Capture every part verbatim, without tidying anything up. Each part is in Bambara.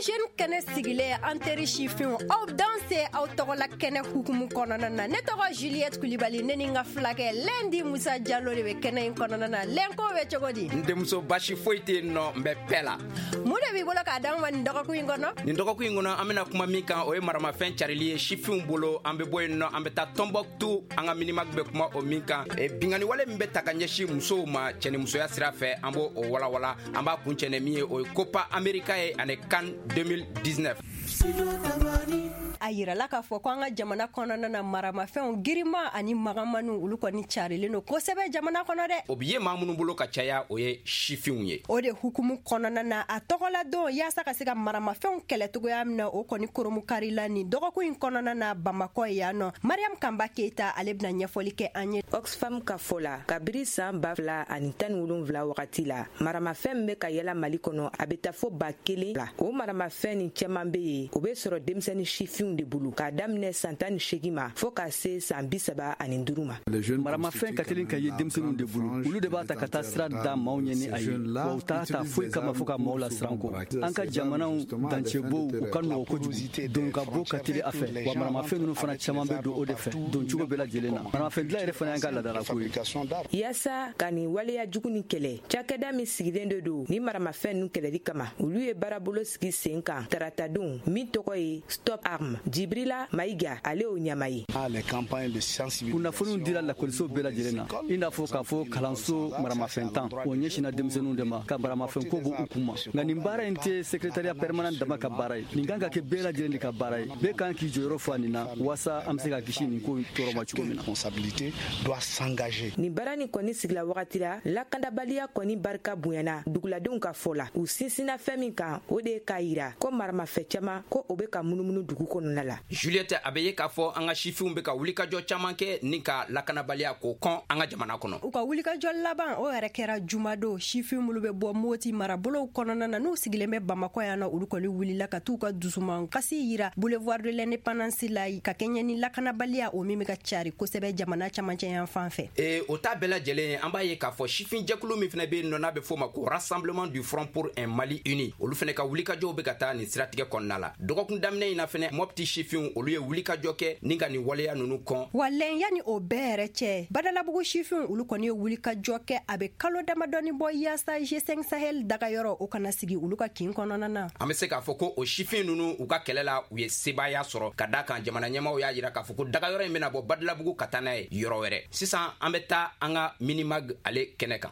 Jeunes kɛnɛ sigilen, an teri sifinw, aw danse aw tɔgɔla kɛnɛ hukumu kɔnɔna na. Ne tɔgɔ Juliette Kulibali, ne ni n ka fulakɛ Lendi Musa Jalo de bɛ kɛnɛ in kɔnɔna na. Lɛnko bɛ cogo di? N denmuso, basi foyi tɛ yen nɔ, n bɛ pɛ la. Mun de b'i bolo k'a d'an ma nin dɔgɔkun in kɔnɔ? Nin dɔgɔkun in kɔnɔ, an bɛna kuma min kan, o ye maramafɛn carili ye sifinw bolo. An bɛ bɔ yen nɔ, an bɛ taa Tɔnbɔkutu, an ka Minimag bɛ kuma o min kan, e, bingani wale min bɛ ta ka ɲɛsin musow ma cɛnimusoya sira fɛ, an b'o o walawala. An b'a kuncɛ ni min ye, o ye Copa America ye ani CAN deux mille dix-neuf. A yirala k'a fɔ ko an ka jamana kɔnɔna na, maramafɛnw girima ani magamaniw, olu kɔni carilen don kosɛbɛ jamana kɔnɔ dɛ. O bi ye maa minnu bolo ka caya, o ye sifinw ye. O de hukumu kɔnɔna na, a tɔgɔla don yaasa ka se ka maramafɛnw kɛlɛ cogoya min na, o kɔni koromukari la nin dɔgɔkun in kɔnɔna na Bamakɔ yan nɔ. Mariam Kanba Keyita, ale bɛna ɲɛfɔli kɛ an ye. Oxfam ka fɔ la, kabiri saan ba fila ani tan ni wolonfila wagati la, maramafɛn min bɛ ka yɛlɛ Mali kɔnɔ, a bɛ taa fo ba kelen la. O maramafɛn nin cɛman bɛ yen, o bɛ sɔrɔ denmisɛnnin sifinw de bolo, k'a daminɛ san tan ni seegin ma fɔɔ ka se san bi saba ani duuru ma. Maramafɛn ka teli ka ye denmisɛnninw de bolo. Olu de b'a ta ka taa sira da maaw ɲɛ ni a ye, wa u t'a ta foyi kama fo ka maaw lasiran kɔ. An ka jamanaw dancɛbow, u ka nɔgɔ kojugu, don ka bɔ ka teli a fɛ, wa maramafɛn ninnu fana caman bɛ don o de fɛ don cogo bɛɛ lajɛlen na. Maramafɛn dilan yɛrɛ fana y'an ka laadalako ye. Yaasa ka nin waleya jugu ni kɛlɛ, cakɛda min sigilen de don ni maramafɛn ninnu kɛlɛli kama, olu ye baarabolo sigi sen kan taratadon min tɔgɔ ye Stop Arme. Jibrila Mayiga, ale y'o ɲama ye. Kunnafoniw dira lakɔliso bɛɛ lajɛlen na, i n'a fɔ k'a fɔ kalanso maramafɛn tan, o ɲɛsinna denmisɛnninw de ma ka maramafɛn ko bɔ u kun ma. Nka nin baara in tɛ secrétariat permanent dama ka baara ye, nin kan ka kɛ bɛɛ lajɛlen de ka baara ye. Bɛɛ kan k'i jɔyɔrɔ fa nin na waasa an bɛ se ka kisi nin ko tɔɔrɔ ma cogo min na. Nin baara nin kɔni sigila wagati la, lakandabaliya kɔni barika bonyana duguladenw ka fɔ la. U sinsinna fɛn min kan, o de ye k'a yira ko maramafɛn caman ko o be ka munumunu dugu kɔnɔna la. Juliette, a bɛ ye k'a fɔ an ka sifinw bɛ ka wulikajɔ caman kɛ ni ka lakanabaliya k'o kɔn an ka jamana kɔnɔ. U ka wulikajɔ laban, o yɛrɛ kɛra jumadon. Sifin minnu bɛ bɔ Moti marabolow kɔnɔna na, n'u sigilen bɛ Bamakɔ yan nɔ, olu kɔni wulila ka t'u ka dusuman kasi yira Boulevard de l'Indépendance la, ka kɛɲɛ ni lakanabaliya o min bɛ ka cari kosɛbɛ jamana camancɛ yan fan fɛ. E, o ta bɛɛ lajɛlen, an b'a ye k'a fɔ sifin jɛkulu min fana bɛ yen nɔ, n'a bɛ f'o ma ko Rassemblement du Front pour un Mali uni, olu fana ka wulikajɔw bɛ ka taa nin siratigɛ kɔnɔna la. Dɔgɔkun daminɛ in na fɛnɛ, Mɔpti sifinw, olu ye wulikajɔ kɛ ni ka nin waleya ninnu kɔn. Wa lɛn, yanni o bɛɛ yɛrɛ cɛ, Badalabugu sifinw, olu kɔni ye wulikajɔ kɛ a bɛ kalo damadɔni bɔ yaasa G cinq Sahel dagayɔrɔ, o kana sigi olu ka kin kɔnɔna na. An bɛ se k'a fɔ ko o sifin ninnu, u ka kɛlɛ la, u ye sebaaya sɔrɔ, ka da kan jamana ɲɛmaw y'a yira k'a fɔ ko dagayɔrɔ in bɛna bɔ Badalabugu ka taa n'a ye yɔrɔ wɛrɛ. Sisan an bɛ taa an ka Minimag ale kɛnɛ kan.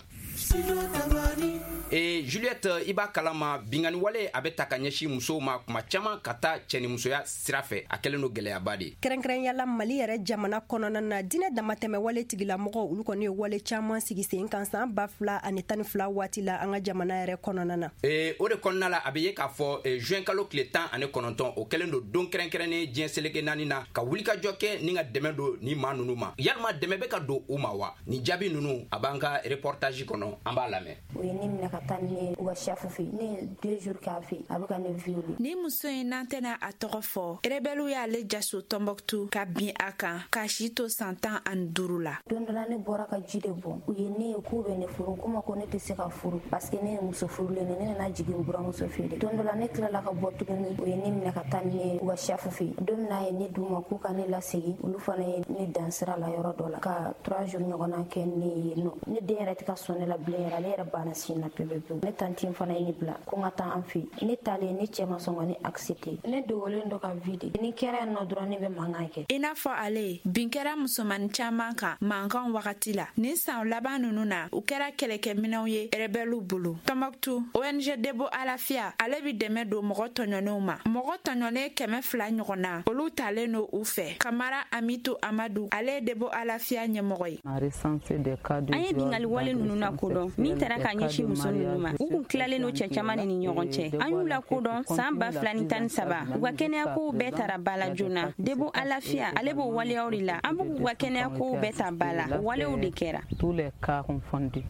E, Juliette, i b'a kalama, bingani wale a bɛ ta ka ɲɛsin musow ma kuma caman ka taa cɛnimusoya sira fɛ, a kɛlen don gwɛlɛyaba de. Kɛrɛnkɛrɛnyala Mali yɛrɛ jamana kɔnɔna na, diinɛ damatɛmɛ wale tigilamɔgɔw, olu kɔni ye wale caman sigi sen kan san ba fila ani tan ni fila waati la an ka jamana yɛrɛ kɔnɔna na. E, o de kɔnɔna la, a bɛ ye k'a fɔ e, juin kalo tile tan ani kɔnɔntɔn, o kɛlen don don kɛrɛnkɛrɛnnen diɲɛ seleke naani na ka wulikajɔ kɛ ni ka dɛmɛ don ni maa ninnu ma. Yalima dɛmɛ bɛ ka don u ma wa? Nin jaabi ninnu, a b'an ka reportage kɔnɔ, an b'a lamɛn. U ye ne minɛ ka taa ni ne ye u ka chef fɛ. Ne ye deux jours k'a fɛ, a bɛ ka ne violer. Ni muso in, n'an tɛna a tɔgɔ fɔ, rebɛliw y'ale jaso Tɔnbɔkutu ka bin a kan k'a si to san tan ani duuru la. Don dɔ la, ne bɔra ka ji de bɔn, u ye ne ye k'u bɛ ne furu. Ko ma ko ne tɛ se ka furu parce que ne ye muso furulen de. Ne nana jigin buramuso fɛ de. Don dɔ la, ne tilala ka bɔ tuguni, u ye ne minɛ ka taa ni ne ye u ka chef fɛ. Don min na a ye ne d'u ma k'u ka ne lasegin, olu fana ye ne dan sira la yɔrɔ dɔ la ka trois jours ɲɔgɔnna kɛ ne ye nɔ. Ne den yɛrɛ tɛ ka sɔn ne la bilen yɛrɛ, ale yɛrɛ banna sin na pewu pewu. Ne tantine fana ye ne bila ko n ka taa an fɛ yen. Ne taalen, ne cɛ ma sɔn ka ne accepter. Ne dogolen dɔ ka vie de ni kɛra yan nɔ dɔrɔn, ne bɛ mankan kɛ. I n'a fɔ ale, bin kɛra musomani caaman kan mankan wagati la nin san laban nunu na. U kɛra kɛlɛkɛminɛw ye rebɛliw bolo Tɔnbɔkutu. O N G Debo Alafiya, ale bi dɛmɛ don mɔgɔ tɔɲɔnenw ma. Mɔgɔ tɔɲɔnen kɛmɛ fila ɲɔgɔn na, olu talen no u fɛ. Kamara Amitu Amadu, ale ye Debo Alafiya ɲɛmɔgɔ ye. An ye bingali wale ninnu na kodɔn min taara ka ɲɛsin muso ninnu ma. U kun tilalen no cɛ caman de ni ɲɔgɔn cɛ. An y'u lakodɔn saan ba fila ni tan ni saba. U ka kɛnɛyakow bɛɛ tara ba la joona. Debo Alafiya, ale b'o waleyaw de la. An b'u k'u ka kɛnɛyakow bɛɛ ta ba la, o walew de kɛra.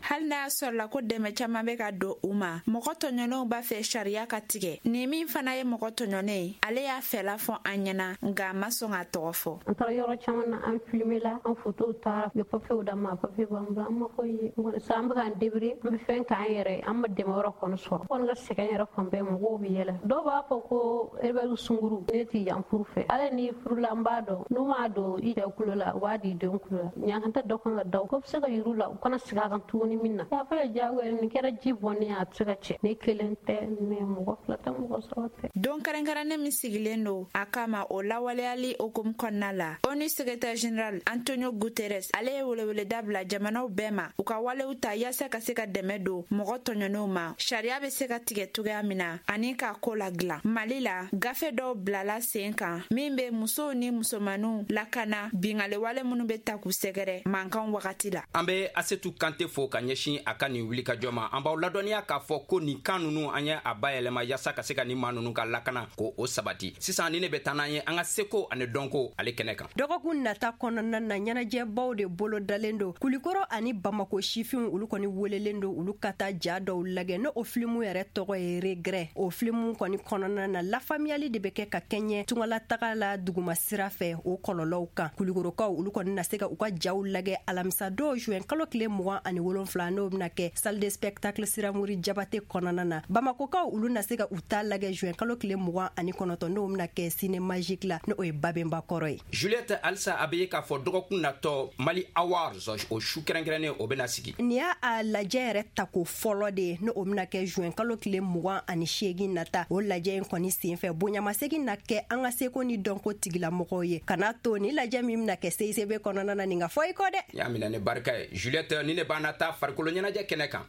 Hali n'a y'a sɔrɔla ko dɛmɛ caaman bɛ ka don u ma, mɔgɔ tɔɲɔnenw b'a fɛ sariya ka tigɛ. Nin min fana ye mɔgɔ tɔɲɔnen ye, ale y'a fɛla fɔ an ɲɛna, nka a ma sɔn k'a tɔgɔ fɔ. An taara yɔrɔ caman na, an filime la, an fotow taara, u ye papiyew d'an ma, papiye b'an bolo, an ma foyi ye. Sa an bɛ k'an débrouiller, an bɛ fɛn k'an yɛrɛ, an ma dɛmɛ wɛrɛ kɔni sɔrɔ. Kɔni ka sɛgɛn yɛrɛ fan bɛɛ mɔgɔw bɛ yɛlɛ. Dɔw b'a fɔ ko rebelle sunguru ne ti yan furu fɛ. Hali ni furula n b'a dɔn n'u m'a don i cɛ kulo la u b'a di den kulo la. Ɲankata dɔ kan ka da u ko bɛ se ka yir'u la u kana segin a kan tuguni min na. Y'a fɔ diyagoya nin kɛra ji bɔnnen a tɛ se ka cɛ. Ne kelen tɛ ne mɔgɔ fila tɛ mɔgɔ saba tɛ. Don kɛrɛnkɛrɛnnen min sigilen don a kama o lawaleyali hukumu kɔnɔna la, ONU secrétaire général Antonio Guterres ale ye weleweleda bila jamanaw bɛɛ ma u ka walew ta yaasa ka se ka dɛmɛ don mɔgɔ tɔɲɔnenw ma, sariya bɛ se ka tigɛ cogoya min na ani k'a ko ladilan. Mali la, gafe dɔw bilala sen kan min bɛ musow ni musomaninw lakana binkanni minnu bɛ ta k'u sɛgɛrɛ mankan wagati la. An bɛ Asetu Kante fo ka ɲɛsin a ka nin wulikajɔ ma. An b'aw ladɔnniya k'a fɔ ko nin kan ninnu an ye a bayɛlɛma yaasa ka se ka nin maa ninnu ka lakana ko o sabati. Sisan ni ne bɛ taa n'an ye an ka seko ani dɔnko ale kɛnɛ kan. Dɔgɔkun nata kɔnɔna na, ɲɛnajɛbaw de bolo dalen don Kulikɔrɔ ani Bamako sifinw olu kɔni welelen don olu ka taa ja dɔw lajɛ n'o o filimu yɛrɛ tɔgɔ ye Regret. O filimu kɔni kɔnɔna na, lafaamuyali de bɛ kɛ ka kɛɲɛ tungalataga la duguma sira fɛ o kɔlɔlɔw kan. Kulikɔrɔkaw olu kɔni na se ka u ka jaw lajɛ alamisa dɔw juin kalo tile mugan ani wolonfila n'o bɛna kɛ salle de spectacle Siramuri Jabate kɔnɔna na. Bamakokaw olu na se ka u ta lajɛ juin kalo tile mugan ani kɔnɔntɔn n'o bɛna kɛ Ciné Magique la n'o ye Babenba kɔrɔ ye. Juliette, halisa a bɛ ye k'a fɔ dɔgɔkun natɔ Mali Awards o su kɛrɛnkɛrɛnnen o bɛna sigi. Nin y'a a lajɛ yɛrɛ tako fɔlɔ de ye n'o bɛna kɛ juin kalo tile mugan ani seegin nata. O lajɛ in kɔni senfɛ bonyamasegin na kɛ an ka seko ni dɔnko tigilamɔgɔw ye. Kana to ni lajɛ min bɛna kɛ C I C B kɔnɔna na nin ka fɔ i kɔ dɛ. Y'a minɛ ni barika ye. Juliette, ni ne b'an na taa farikolo ɲɛnajɛ kɛnɛ kan.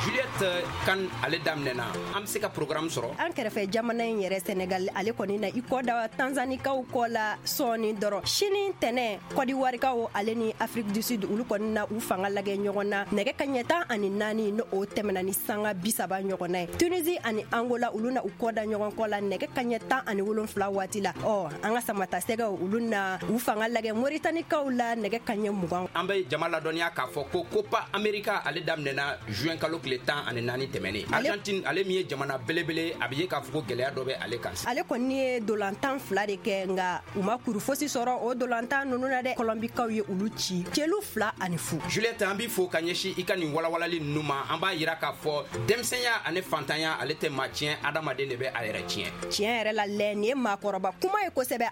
Juliette, kan ale daminɛna, an bɛ se ka programme sɔrɔ. An kɛrɛfɛ jamana in yɛrɛ Senegal ale kɔni na i kɔ da Tanzanikaw kɔ la sɔɔni dɔrɔn. Sini tɛnɛ Kɔdiwarikaw ale ni Afrique du Sud olu kɔni na u fanga lajɛ ɲɔgɔn na nɛgɛ kaɲɛ tan ani naani n'o o tɛmɛna ni sanga bi saba ɲɔgɔnna ye. Tunisie ani Angola olu na u kɔ da ɲɔgɔn kɔ la nɛgɛ kaɲɛ tan ani wolonfila waati la. Ɔ an ka samatasɛgɛw olu na u fanga lajɛ Moritanikaw la nɛgɛ kaɲɛ mugan. An bɛ jama ladɔnniya k'a fɔ ko Copa America ale daminɛna juin kalo tile tan ani naani tɛmɛnen. Argentine ale min ye jamana belebele a bɛ ye k'a fɔ ko gɛlɛya dɔ bɛ ale kan. Ale kɔni ye dolantan fila de kɛ nka u ma kuru fosi sɔrɔ o dolantan ninnu na dɛ. Kɔlɔnbikaw ye olu ci celu fila ani fu. Juliette, an b'i fo ka ɲɛsin i ka nin walawalali ninnu ma. An b'a yira k'a fɔ denmisɛnya ani fantanya ale tɛ maa tiɲɛ, adamaden de bɛ a yɛrɛ tiɲɛ. Tiɲɛ yɛrɛ la lɛ, nin ye maakɔrɔba kuma ye kosɛbɛ.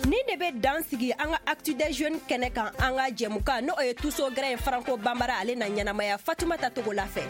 Ni de bɛ dan sigi an ka Actu des Jeunes kɛnɛ kan an ka jɛmukan n'o ye Tuso Gɛrɛ ye Franco Bambara ale na ɲɛnamaya Fatumata Togola fɛ.